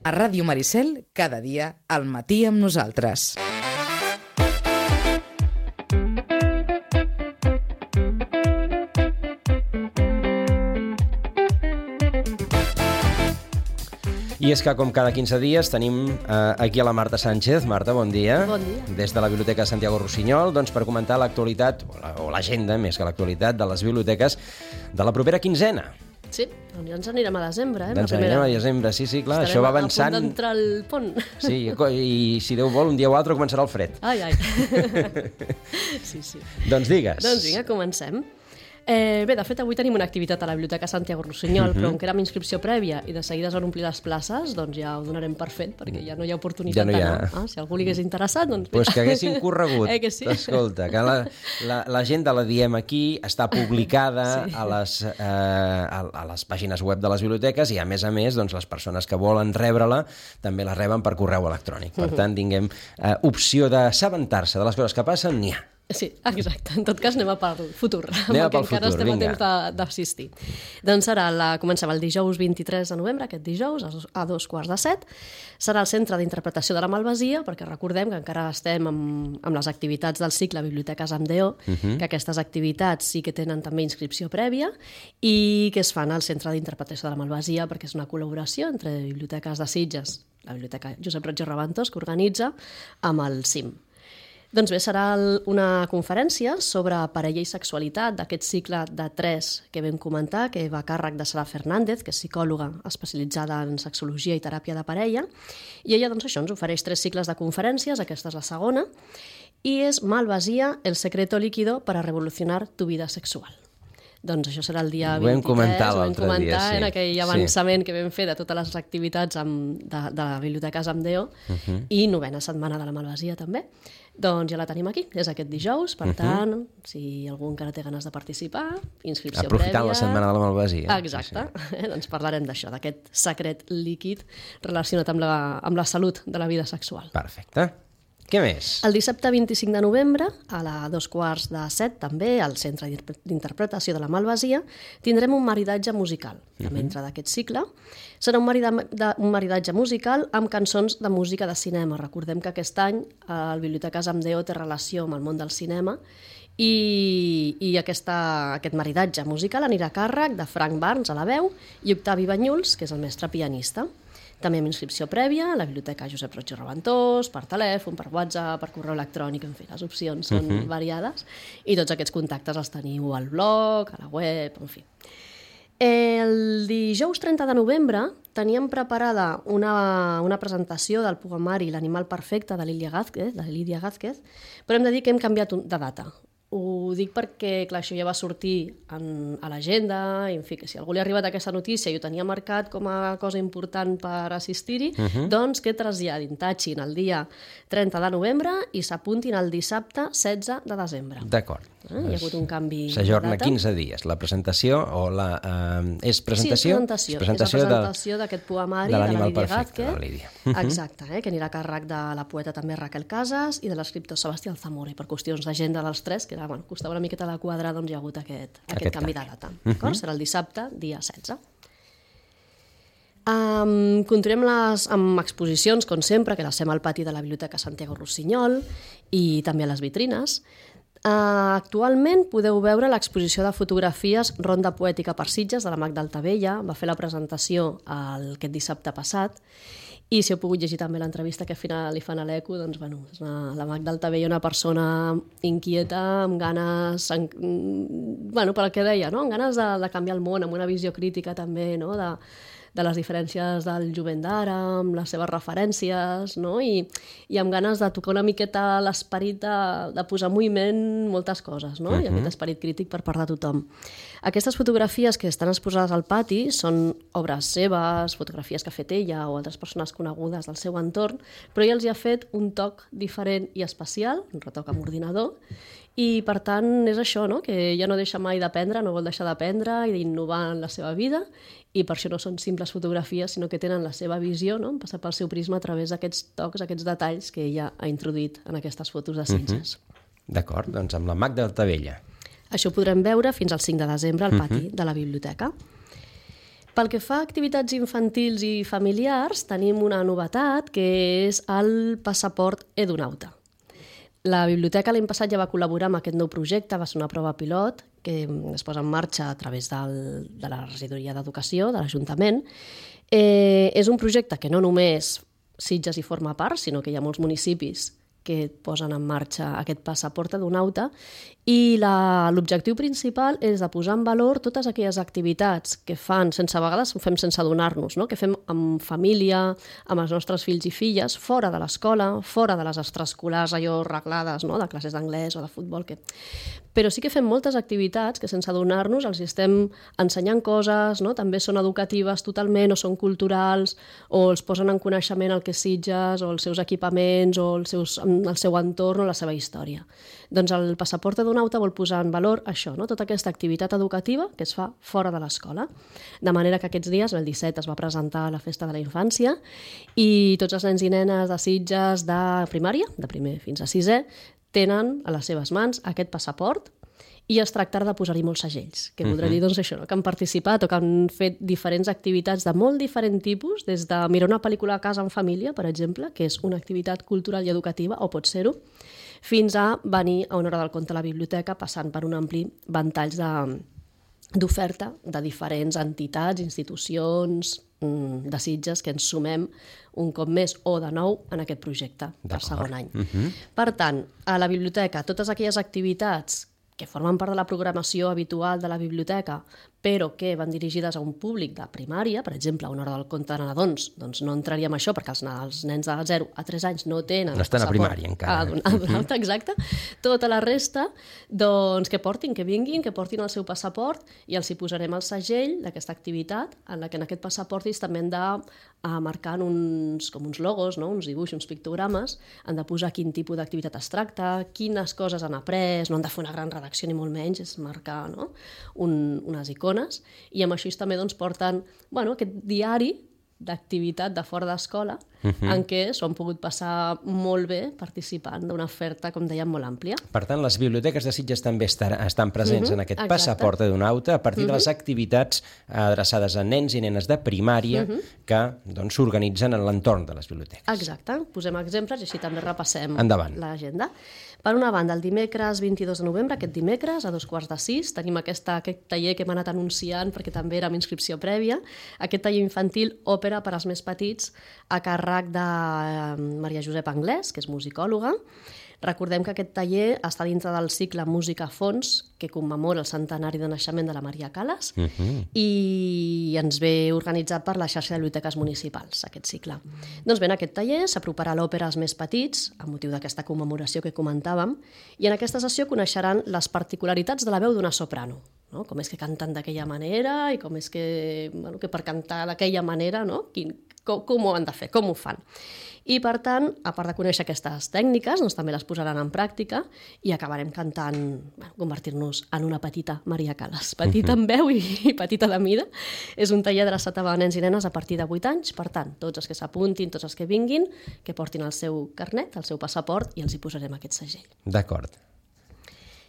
A Ràdio Maricel, cada dia, al matí amb nosaltres. I és que, com cada 15 dies, tenim aquí a la Marta Sánchez. Marta, bon dia. Bon dia. Des de la Biblioteca Santiago Rossinyol, doncs, per comentar l'actualitat, o l'agenda, més que l'actualitat, de les biblioteques de la propera quinzena. Sí, doncs ja ens anirem a desembre, Doncs anirem a desembre, sí, clar, això va avançant. Estarem a punt d'entrar al pont. Sí, i si Déu vol, un dia o altre començarà el fred. Ai. Sí. Doncs digues. Doncs vinga, comencem. Bé, de fet, avui tenim una activitat a la Biblioteca Santiago Rossinyol, però com que era amb inscripció prèvia i de seguida es van omplir les places, doncs ja ho donarem per fet, perquè ja no hi ha oportunitat d'anar. Si algú li hagués interessat, doncs... Pues que haguessin corregut. Que sí? Escolta, que l'agenda la diem aquí, està publicada a les pàgines web de les biblioteques i, a més, doncs, les persones que volen rebre-la també la reben per correu electrònic. Per tant, tinguem opció d'assabentar-se de les coses que passen, n'hi ha. Sí, exacte. En tot cas, anem a pel futur. Anem pel futur, encara estem a temps d'assistir. Doncs comencem el dijous 23 de novembre, aquest dijous, a 2:15. Serà el Centre d'Interpretació de la Malvasia, perquè recordem que encara estem amb les activitats del cicle Biblioteques amb DO, que aquestes activitats sí que tenen també inscripció prèvia i que es fan al Centre d'Interpretació de la Malvasia, perquè és una col·laboració entre Biblioteques de Sitges, la Biblioteca Josep Roig i Raventós, que organitza amb el CIM. Doncs bé, serà una conferència sobre parella i sexualitat d'aquest cicle de 3 que vam comentar, que va a càrrec de Sara Fernández, que és psicòloga especialitzada en sexologia i teràpia de parella, i ella doncs, ens ofereix 3 cicles de conferències, aquesta és la segona, i és Malvasia, el secreto líquido para revolucionar tu vida sexual. Doncs això serà el dia 23, ho vam comentar en aquell avançament que vam fer de totes les activitats de Biblioteques amb DO i 9ª setmana de la Malvasia també. Doncs ja la tenim aquí, és aquest dijous, per tant, si algú encara té ganes de participar, inscripció prèvia... Aprofitant la setmana de la Malvasia. Exacte, doncs parlarem d'això, d'aquest secret líquid relacionat amb la salut de la vida sexual. Perfecte. Què més? El dissabte 25 de novembre, a la 2:15 també, al Centre d'Interpretació de la Malvasia, tindrem un maridatge musical, també dintre d'aquest cicle. Serà un maridatge musical amb cançons de música de cinema. Recordem que aquest any el Biblioteques amb DO té relació amb el món del cinema i aquest maridatge musical anirà a càrrec de Frank Barnes a la veu i Octavi Banyuls, que és el mestre pianista. També amb inscripció prèvia a la Biblioteca Josep Roig i Raventós, per telèfon, per WhatsApp, per correu electrònic, en fi, les opcions són variades i tots aquests contactes els teniu al blog, a la web, en fi. El dijous 30 de novembre teníem preparada una presentació del poemari L'animal perfecte de Lídia Gázquez, però hem de dir que hem canviat de data. Ho dic perquè, clar, això ja va sortir a l'agenda, i en fi, que si algú li ha arribat aquesta notícia i ho tenia marcat com a cosa important per assistir-hi, doncs que traslladin, tatxin el dia 30 de novembre i s'apuntin el dissabte 16 de desembre. D'acord. Hi ha hagut un canvi de data. S'ajorna 15 dies. La presentació és presentació? Sí, és presentació d'aquest poemari de la Lídia Gázquez. Exacte, que anirà a càrrec de la poeta també Raquel Casas i de l'escriptor Sebastià Alzamora. I per qüestions d'agenda dels 3, que costava una miqueta de quadrar, doncs hi ha hagut aquest canvi de data. Serà el dissabte, dia 16. Continuem amb exposicions, com sempre, que les fem al pati de la Biblioteca Santiago Rossinyol i també a les vitrines. Actualment podeu veure l'exposició de fotografies Ronda Poètica per Sitges de la Magda Altavella. Va fer la presentació aquest dissabte passat i si heu pogut llegir també l'entrevista que al final li fan a l'Eco, doncs és la Magda Altavella, una persona inquieta, amb ganes, per el que deia, amb ganes de canviar el món, amb una visió crítica també, de les diferències del jovent d'ara, amb les seves referències, i amb ganes de tocar una miqueta l'esperit de posar en moviment moltes coses, i aquest esperit crític per part de tothom. Aquestes fotografies que estan exposades al pati són obres seves, fotografies que ha fet ella o altres persones conegudes del seu entorn, però ella els hi ha fet un toc diferent i especial, un retoc amb ordinador, i per tant és això, que ella no deixa mai d'aprendre, no vol deixar d'aprendre i d'innovar en la seva vida, i per això no són simples fotografies, sinó que tenen la seva visió, passar pel seu prisma a través d'aquests tocs, aquests detalls que ella ha introduït en aquestes fotos de Sitges. D'acord, doncs amb la Magda Altavella. Això ho podrem veure fins al 5 de desembre al pati de la biblioteca. Pel que fa a activitats infantils i familiars, tenim una novetat, que és el passaport Edunauta. La biblioteca l'any passat ja va col·laborar amb aquest nou projecte, va ser una prova pilot que es posa en marxa a través de la regidoria d'Educació, de l'Ajuntament. És un projecte que no només Sitges hi forma part, sinó que hi ha molts municipis que posen en marxa aquest passaport Edunauta, i l'objectiu principal és de posar en valor totes aquelles activitats que fan, a vegades ho fem sense adonar-nos, no? Que fem amb família, amb els nostres fills i filles, fora de l'escola, fora de les extraescolars allò reglades, no? De classes d'anglès o de futbol. Però sí que fem moltes activitats que sense adonar-nos els estem ensenyant coses, no? També són educatives totalment, o són culturals, o els posen en coneixement el que és Sitges, o els seus equipaments, o el seu entorn o la seva història. Doncs el passaport Edunauta vol posar en valor això, no? Tota aquesta activitat educativa que es fa fora de l'escola. De manera que aquests dies, el 17, es va presentar a la Festa de la Infància i tots els nens i nenes de Sitges de primària, de primer fins a sisè, tenen a les seves mans aquest passaport i es tractarà de posar-hi molts segells, que voldrà dir doncs, això, no? Que han participat o que han fet diferents activitats de molt diferent tipus, des de mirar una pel·lícula a casa en família, per exemple, que és una activitat cultural i educativa, o pot ser-ho, fins a venir a una hora del conte a la biblioteca, passant per un ampli ventall d'oferta de diferents entitats, institucions de Sitges que ens sumem un cop més o de nou en aquest projecte per segon any. Per tant, a la biblioteca, totes aquelles activitats que formen part de la programació habitual de la biblioteca, però que van dirigides a un públic de primària, per exemple, a una hora del conte de nadons, doncs no entraríem a això perquè els nens de 0 a 3 anys no tenen... No estan a primària encara. Exacte. Tota la resta, doncs que portin, que vinguin, que portin el seu passaport i els hi posarem el segell d'aquesta activitat, en la que en aquest passaport també han de marcar uns logos, no? Uns dibuixos, uns pictogrames, han de posar quin tipus d'activitat es tracta, quines coses han après, no han de fer una gran redacció ni molt menys, és marcar, no? Unes icones, i amb això també doncs, porten aquest diari d'activitat de fora d'escola en què s'ho han pogut passar molt bé participant d'una oferta, com dèiem, molt àmplia. Per tant, les biblioteques de Sitges també estan presents en aquest passaport Edunauta a partir de les activitats adreçades a nens i nenes de primària que s'organitzen en l'entorn de les biblioteques. Exacte. Posem exemples i així també repassem l'agenda. Per una banda, el dimecres 22 de novembre, aquest dimecres, a 5:15, tenim aquest taller que hem anat anunciant perquè també era amb inscripció prèvia, aquest taller infantil òpera per als més petits a càrrec de Maria Josep Anglès, que és musicòloga. Recordem que aquest taller està dintre del cicle Música a fons, que commemora el centenari de naixement de la Maria Calas, i ens ve organitzat per la xarxa de biblioteques municipals, aquest cicle. Doncs bé, en aquest taller s'aproparà l'òpera als més petits, a motiu d'aquesta commemoració que comentàvem, i en aquesta sessió coneixeran les particularitats de la veu d'una soprano, no? Com és que canten d'aquella manera i com és que per cantar d'aquella manera, no? Com ho han de fer, com ho fan. I, per tant, a part de conèixer aquestes tècniques, doncs també les posaran en pràctica i acabarem cantant, convertir-nos en una petita Maria Calas. Petita en veu i petita de mida. És un taller adreçat a nens i nenes a partir de 8 anys. Per tant, tots els que s'apuntin, tots els que vinguin, que portin el seu carnet, el seu passaport, i els hi posarem aquest segell. D'acord.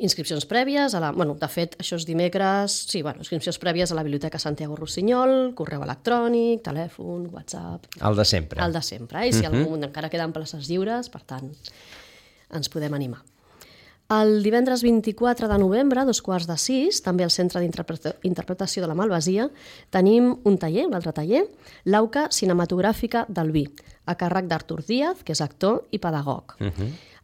Inscripcions prèvies, de fet, això és dimecres, inscripcions prèvies a la Biblioteca Santiago Rossinyol, correu electrònic, telèfon, WhatsApp... El de sempre. El de sempre, i si encara queden places lliures, per tant, ens podem animar. El divendres 24 de novembre, a 5:15, també al Centre d'Interpretació de la Malvasia, tenim un altre taller, l'Auca Cinematogràfica del Vi, a càrrec d'Artur Díaz, que és actor i pedagog.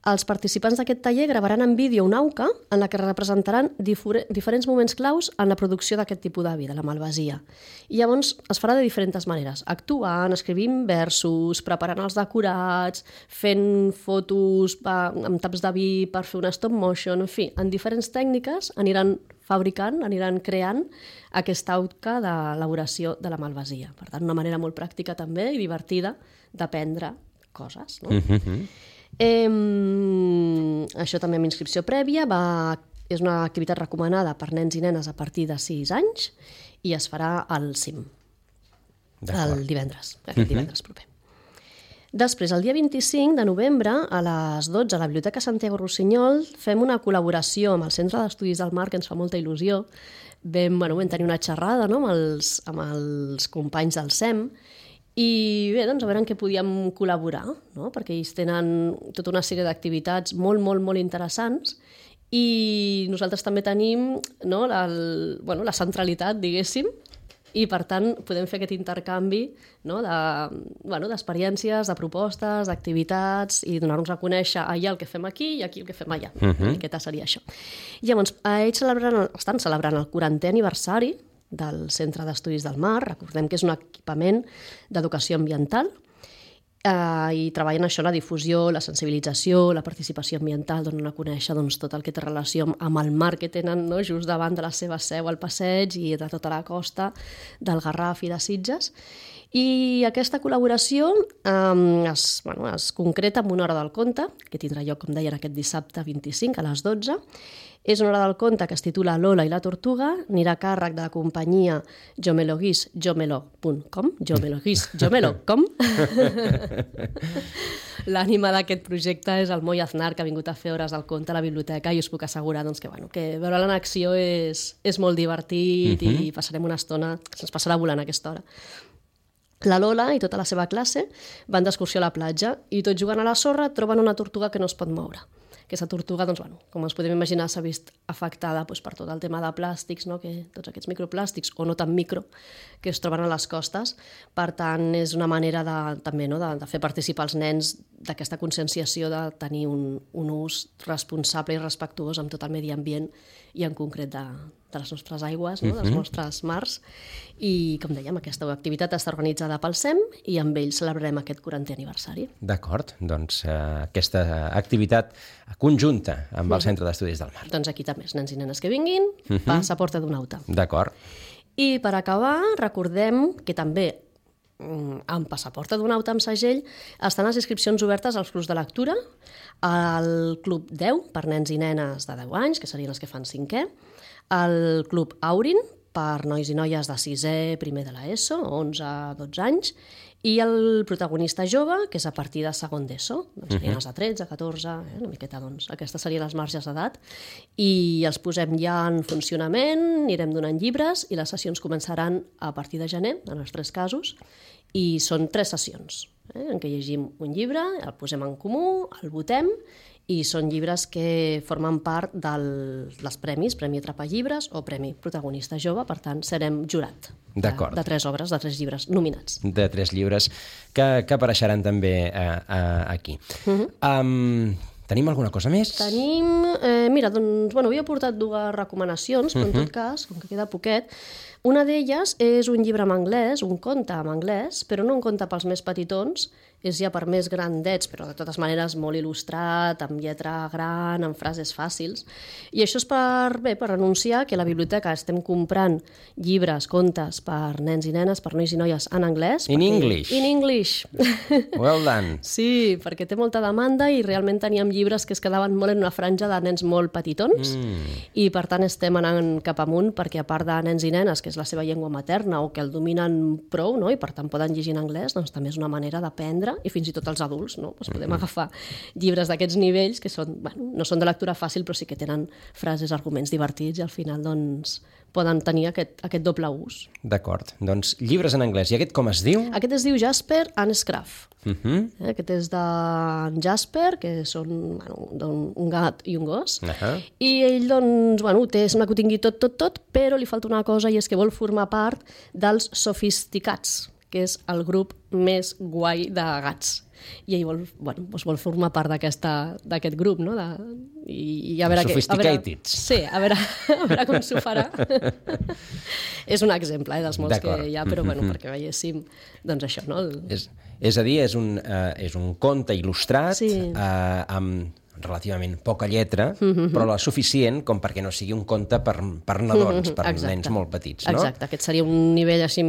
Els participants d'aquest taller gravaran en vídeo una auca en la que representaran diferents moments claus en la producció d'aquest tipus de vi, de la Malvasia. I llavors es farà de diferents maneres, actuant, escrivint versos, preparant els decorats, fent fotos amb taps de vi per fer una stop motion, en fi, en diferents tècniques aniran fabricant, aniran creant aquesta auca d'elaboració de la Malvasia. Per tant, una manera molt pràctica també i divertida d'aprendre coses, no? Això també amb inscripció prèvia, és una activitat recomanada per nens i nenes a partir de 6 anys i es farà al CIM, el divendres, aquest divendres proper. Després, el dia 25 de novembre, a les 12, a la Biblioteca Santiago Rossinyol, fem una col·laboració amb el Centre d'Estudis del Mar, que ens fa molta il·lusió. Vam tenir una xerrada, no?, amb els companys del SEM, i bé, doncs a veure en què podíem col·laborar, no?, perquè ells tenen tota una sèrie d'activitats molt, molt, molt interessants, i nosaltres també tenim, no, la centralitat, diguéssim, i per tant podem fer aquest intercanvi, no, d'experiències, de propostes, d'activitats, i donar-nos a conèixer allà el que fem aquí i aquí el que fem allà. Una miqueta seria això. Llavors, ells estan celebrant el 40è aniversari del Centre d'Estudis del Mar. Recordem que és un equipament d'educació ambiental, i treballen això, la difusió, la sensibilització, la participació ambiental, donen a conèixer tot el que té relació amb el mar que tenen, no?, just davant de la seva seu al passeig i de tota la costa del Garraf i de Sitges. I aquesta col·laboració es concreta en una hora del conte, que tindrà lloc, com deien, aquest dissabte 25 a les 12. És una hora del conte que es titula Lola i la tortuga, anirà a càrrec de la companyia jomeloguisjomelo.com. L'ànima d'aquest projecte és el Moi Aznar, que ha vingut a fer hores del conte a la biblioteca, i us puc assegurar que veure-la en acció és molt divertit i passarem una estona, se'ns passarà volant aquesta hora. La Lola i tota la seva classe van d'excursió a la platja i tot jugant a la sorra troben una tortuga que no es pot moure. Aquesta tortuga, com ens podem imaginar, s'ha vist afectada per tot el tema de plàstics, no?, tots aquests microplàstics, o no tan micro, que es troben a les costes. Per tant, és una manera també de fer participar els nens d'aquesta conscienciació de tenir un ús responsable i respectuós amb tot el medi ambient i en concret de les nostres aigües, no?, dels nostres mars. I, com dèiem, aquesta activitat està organitzada pel SEM i amb ells celebrarem aquest 40è aniversari. D'acord, doncs aquesta activitat conjunta amb el Centre d'Estudis del Mar. Doncs aquí també, els nens i nenes que vinguin, Passaporte d'un Nauta. D'acord. I per acabar, recordem que també amb Passaporte d'un Nauta amb segell estan les inscripcions obertes als clubs de lectura, al Club 10 per nens i nenes de 10 anys, que serien els que fan 5è, al Club Aurin per nois i noies de 6è, primer de l'ESO, 11 a 12 anys, i el protagonista jove, que és a partir de segon d'ESO, serien els de 13, 14, una miqueta, aquestes serien les marges d'edat, i els posem ja en funcionament, anirem donant llibres, i les sessions començaran a partir de gener, en els 3 casos, i són 3 sessions, en què llegim un llibre, el posem en comú, el votem, i són llibres que formen part dels premis, Premi Atrapallibres o Premi Protagonista Jove, per tant, serem jurat de 3 obres, de 3 llibres nominats. De 3 llibres que apareixeran també aquí. Tenim alguna cosa més? Tenim... Mira, doncs, havia portat 2 recomanacions, però en tot cas, com que queda poquet, una d'elles és un llibre en anglès, un conte en anglès, però no un conte pels més petitons, és ja per més grandets, però de totes maneres molt il·lustrat, amb lletra gran, amb frases fàcils. I això és per anunciar que a la biblioteca estem comprant llibres, contes per nens i nenes, per nois i noies en anglès. In English. In English. Well done. Sí, perquè té molta demanda i realment teníem llibres que es quedaven molt en una franja de nens molt petitons i per tant estem anant cap amunt perquè a part de nens i nenes, que és la seva llengua materna o que el dominen prou, no?, i per tant poden llegir en anglès, doncs també és una manera d'aprendre, i fins i tot els adults, no? Podem agafar llibres d'aquests nivells que són, no són de lectura fàcil, però sí que tenen frases, arguments divertits i al final doncs, poden tenir aquest doble ús. D'acord. Doncs llibres en anglès. I aquest com es diu? Aquest es diu Jasper and Scruff. Aquest és de Jasper, que són un gat i un gos. I ell, doncs, sembla que ho tingui tot, però li falta una cosa i és que vol formar part dels Sofisticats, que és el grup més guai de gats. I ell vol formar part d'aquest grup, no? I a veure Sophisticateds. Sí, a veure com s'ho farà. És un exemple dels molts que hi ha, però perquè veiéssim, doncs això, no? És a dir, és un conte il·lustrat amb relativament poca lletra, però la suficient com perquè no sigui un conte per nadons, per nens molt petits, no? Exacte, aquest seria un nivell així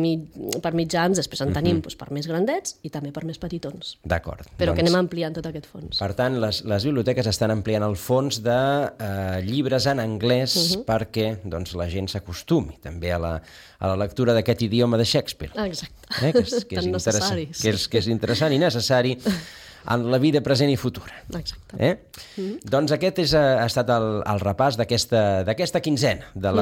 per mitjans, després en tenim per més grandets i també per més petitons. D'acord. Però que anem ampliant tot aquest fons. Per tant, les biblioteques estan ampliant el fons de llibres en anglès perquè la gent s'acostumi també a la lectura d'aquest idioma de Shakespeare. Exacte. Que és interessant, que és interessant i necessari en la vida present i futura. Exacte. Doncs aquest ha estat el repàs d'aquesta quinzena de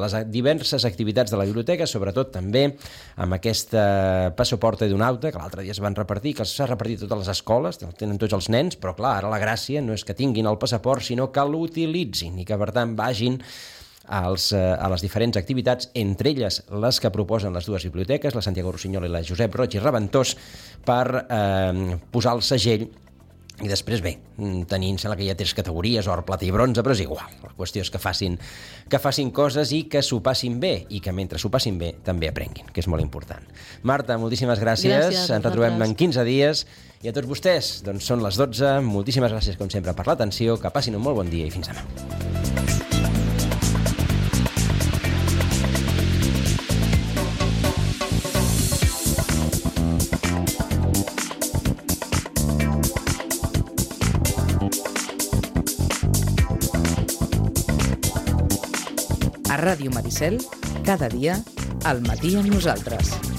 les diverses activitats de la biblioteca, sobretot també amb aquesta passaporta d'un auto que l'altre dia es van repartir, que s'ha repartit a totes les escoles, tenen tots els nens, però clar, ara la gràcia no és que tinguin el passaport, sinó que l'utilitzin i que per tant vagin a les diferents activitats, entre elles les que proposen les dues biblioteques, la Santiago Rossinyol i la Josep Roig i Reventós, per posar el segell i després, bé, tenint, sembla que hi ha 3 categories, or, plata i bronze, però és igual. La qüestió és que facin coses i que s'ho passin bé, i que mentre s'ho passin bé també aprenguin, que és molt important. Marta, moltíssimes gràcies. Ens retrobem en 15 dies. I a tots vostès, doncs són les 12. Moltíssimes gràcies, com sempre, per l'atenció. Que passin un molt bon dia i fins demà. A Ràdio Maricel, cada dia, al matí amb nosaltres.